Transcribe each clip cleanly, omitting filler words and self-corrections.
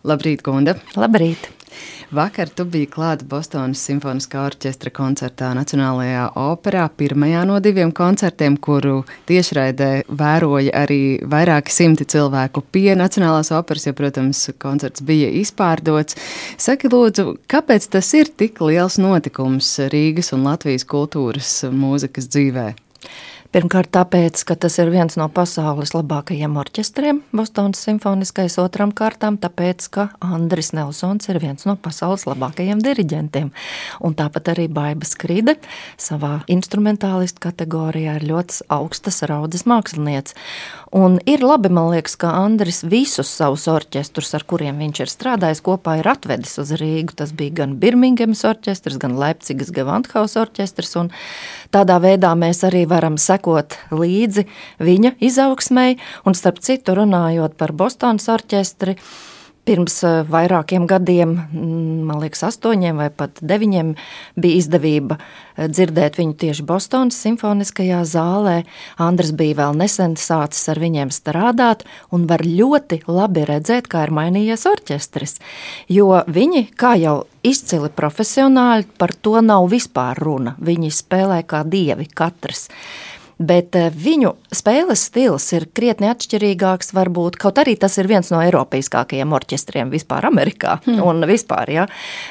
Labrīt, Gunda! Labrīt! Vakar tu biji klāta Bostonas simfoniskā orķestra koncertā Nacionālajā operā, pirmajā no 2 koncertiem, kuru tiešraidē vēroja arī vairāki simti cilvēku pie Nacionālās operas, jo, protams, koncerts bija izpārdots. Saki, lūdzu, kāpēc tas ir tik liels notikums Rīgas un Latvijas kultūras mūzikas dzīvē? Pirmkārt tāpēc, ka tas ir viens no pasaules labākajiem orķestriem, Bostonas simfoniskais, otram kārtām tāpēc, ka Andris Nelsons ir viens no pasaules labākajiem diriģentiem. Un tāpat arī Baiba Skride savā instrumentālistu kategorijā ir ļoti augstas raudzes mākslinieks. Un ir labi, man liekas, ka Andris visus savus orķestrus, ar kuriem viņš ir strādājis kopā, ir atvedis uz Rīgu. Tas bija gan Birmingemas orķestrs, gan Leipcigas Gewandhaus orķestrs, un tādā veidā mēs arī varam sekot līdzi viņa izaugsmei, un starp citu runājot par Bostonas orķestri, pirms vairākiem gadiem, man liekas 8 vai pat 9, bija izdevība dzirdēt viņu tieši Bostonas simfoniskajā zālē. Andris bija vēl nesen sācis ar viņiem strādāt un var ļoti labi redzēt, kā ir mainījies orķestris, jo viņi, kā jau izcili profesionāļi, par to nav vispār runa. Viņi spēlē kā dievi katrs. Bet viņu spēles stils ir krietni atšķirīgāks, varbūt, kaut arī tas ir viens no eiropeiskākajiem orķestriem vispār Amerikā un vispār, jā.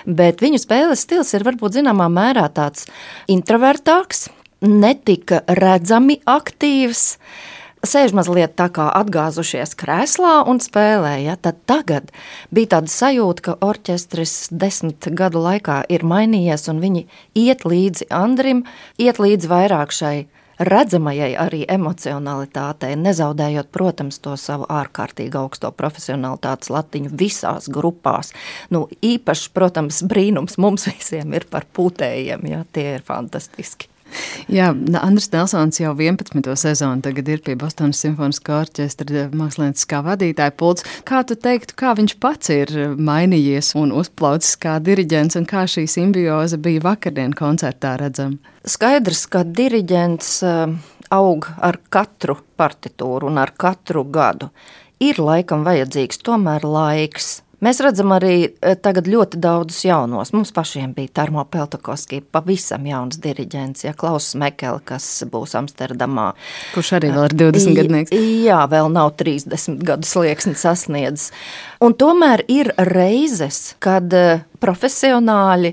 Bet viņu spēles stils ir varbūt zināmā mērā tāds introvertāks, netika redzami aktīvs, sēž mazliet tā kā atgāzušies krēslā un spēlē, ja? Tad tagad bija tāda sajūta, ka orķestris 10 gadu laikā ir mainījies un viņi iet līdzi Andrim, iet līdzi vairāk šai redzamajai arī emocionalitātei, nezaudējot, protams, to savu ārkārtīgi augsto profesionalitātes latiņu visās grupās. Īpaši, protams, brīnums mums visiem ir par pūtējiem, ja, tie ir fantastiski. Jā, Andris Nelsons jau 11. sezonu tagad ir pie Bostonas simfoniskā orķestra mākslinieckā vadītāja pults. Kā tu teiktu, kā viņš pats ir mainījies un uzplaucis kā diriģents, un kā šī simbioze bija vakardien koncertā redzama? Skaidrs, ka diriģents aug ar katru partitūru un ar katru gadu. Ir laikam vajadzīgs tomēr laiks. Mēs redzam arī tagad ļoti daudzus jaunos. Mums pašiem bija Tarmo Peltokoski, pavisam jauns diriģents, ja, Klauss Mekele, kas būs Amsterdamā. Kurš arī vēl ir 20 gadnieks. Jā, vēl nav 30 gadu slieksni sasniedzis. Un tomēr ir reizes, kad profesionāļi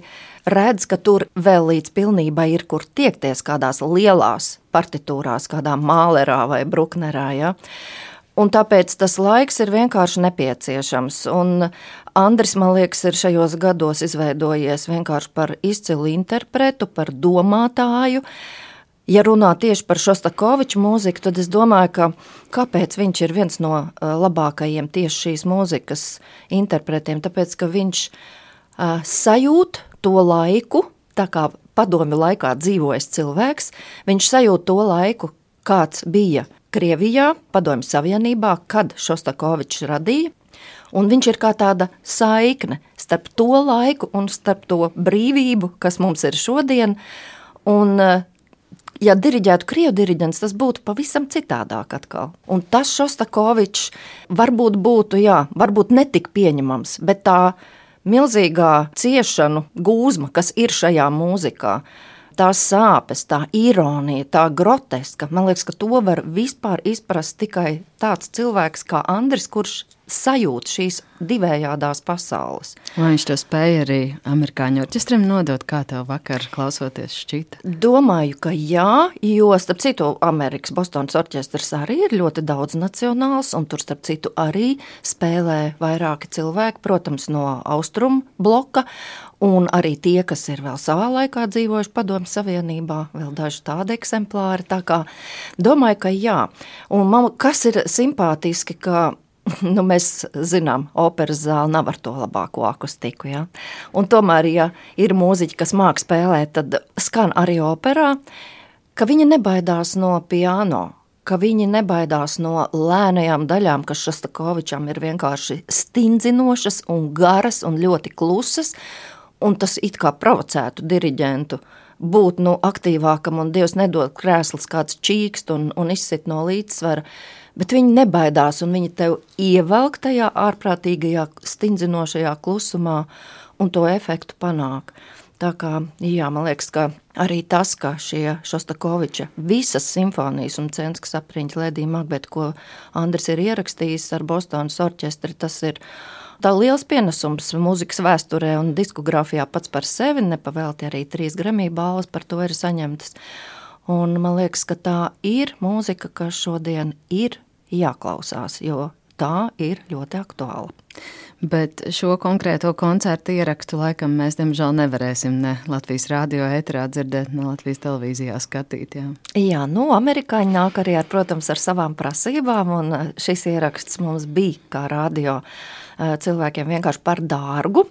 redz, ka tur vēl līdz pilnībai ir, kur tiekties kādās lielās partitūrās, kādā Mālerā vai Bruknerā, ja. Un tāpēc tas laiks ir vienkārši nepieciešams. Un Andris, man liekas, ir šajos gados izveidojies vienkārši par izcilu interpretu, par domātāju. Ja runā tieši par Šostakoviča mūziku, tad es domāju, kāpēc viņš ir viens no labākajiem tieši šīs mūzikas interpretiem, tāpēc, ka viņš sajūt to laiku, tā kā padomju laikā dzīvojas cilvēks, viņš sajūt to laiku, kāds bija Krievijā, Padomju Savienībā, kad Šostakovičs radīja, un viņš ir kā tāda saikne starp to laiku un starp to brīvību, kas mums ir šodien, un ja diriģētu krievu diriģents, tas būtu pavisam citādāk atkal. Un tas Šostakovičs varbūt būtu, varbūt netik pieņemams, bet tā milzīgā ciešanu gūzma, kas ir šajā mūzikā, tās sāpes, tā ironija, tā groteska, man liekas, ka to var vispār izprast tikai tāds cilvēks kā Andris, kurš sajūt šīs divējādās pasaules. Vai viņš to spēja arī amerikāņu orķestram nodot, kā tev vakar klausoties šķita? Domāju, ka jā, jo starp citu Amerikas Bostonas orķestrs arī ir ļoti daudz nacionāls, un tur starp citu arī spēlē vairāki cilvēki, protams, no austrumu bloka, un arī tie, kas ir vēl savā laikā dzīvojuši Padomju Savienībā, vēl daži tādi eksemplāri, tā kā domāju, ka jā. Un man, kas ir simpātiski, ka mēs zinām, operas zāle nav ar to labāko akustiku, ja? Un tomēr, ja ir mūziķi, kas māk spēlēt, tad skan arī operā, ka viņi nebaidās no piano, ka viņi nebaidās no lēnajām daļām, kas Šostakovičam ir vienkārši stindzinošas un garas un ļoti klusas, un tas it kā provocētu diriģentu būt aktīvākam, un Dievs nedod krēsls kāds čīkst un izsit no līdzsvara, bet viņi nebaidās, un viņi tev ievelk tajā ārprātīgajā stindzinošajā klusumā un to efektu panāk. Tā kā, jā, man liekas, ka arī tas, ka šie Šostakoviča visas simfonijas un Censkas apriņķa Ledija Magbeta, ko Andris ir ierakstījis ar Bostonas orķestri, tas ir tā liels pienesums mūzikas vēsturē un diskogrāfijā pats par sevi, nepavēlti arī 3 Grammy balvas par to ir saņemtas. Un man liekas, ka tā ir mūzika, kas šodien ir jāklausās, jo tā ir ļoti aktuāla. Bet šo konkrēto koncertu ierakstu laikam mēs, diemžēl, nevarēsim ne Latvijas radio ēterā dzirdēt, ne Latvijas televīzijā skatīt. Jā, amerikāņi nāk arī protams, ar savām prasībām, un šis ieraksts mums bija kā radio cilvēkiem vienkārši par dārgu,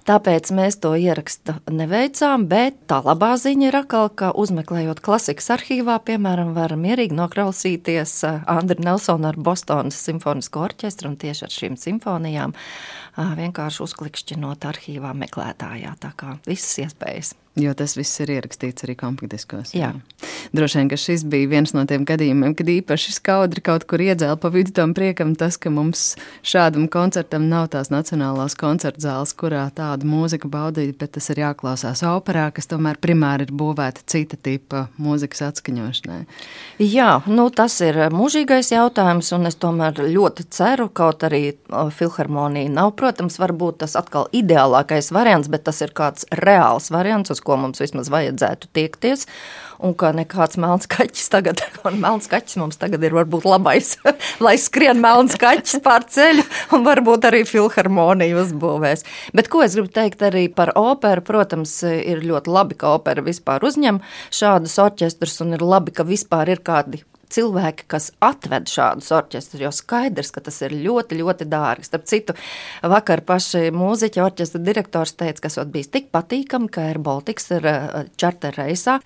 tāpēc mēs to ierakstu neveicām, bet tā labā ziņa ir atkal, ka uzmeklējot klasikas arhīvā, piemēram, var mierīgi noklausīties Andri Nelsonu ar Bostonas simfonisko orķestru un tieši ar šīm simfonijām vienkārši uzklikšķinot arhīvā meklētājā, tā kā visas iespējas. Jo tas viss ir ierakstīts arī kompaktdiskos. Jā. Droši vien, ka šis bija viens no tiem gadījumiem, kad īpaši skaudri kaut kur iedzēla pa vidu tam priekam tas, ka mums šādam koncertam nav tās nacionālās koncertzāles, kurā tādu mūziku baudīt, bet tas ir jāklausās operā, kas tomēr primāri ir būvēta cita tipa mūzikas atskaņošanai. Jā, tas ir mūžīgais jautājums, un es tomēr ļoti ceru, kaut arī filharmonija nav, protams, varbūt tas atkal ideālākais variants, bet tas ir kāds reāls variants, uz ko mums vismaz vajadzētu tiekties, un ka nekāds melns kaķis tagad, un melns kaķis mums tagad ir varbūt labais, lai skrien melns kaķis pār ceļu, un varbūt arī filharmoniju uzbūvēs. Bet ko es gribu teikt arī par operu, protams, ir ļoti labi, ka opera vispār uzņem šādus orķestrus, un ir labi, ka vispār ir kādi cilvēki, kas atved šādus orķestrus, jo skaidrs, ka tas ir ļoti, ļoti dārgi. Starp citu, vakar paši mūziķi orķestra direktors teica, ka esot bijis tik patīkami, ka Air Baltics ir čarter reisā.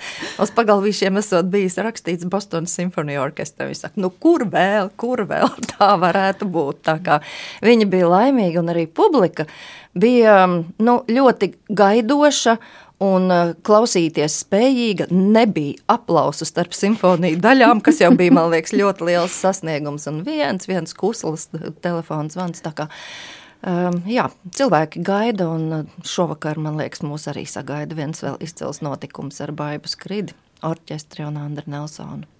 Uz pagalvīšiem esot bijis rakstīts Bostonas simfonija orķestra. Viņi saka, kur vēl tā varētu būt. Tā kā viņi bija laimīgi un arī publika bija ļoti gaidoša, un klausīties spējīga, nebija aplausu starp simfoniju daļām, kas jau bija, man liekas, ļoti liels sasniegums, un viens kusls telefons zvans, tā kā, cilvēki gaida, un šovakar, man liekas, mūs arī sagaida viens vēl izcils notikums ar Baibu Skridi, orķestri un Andri Nelsonu.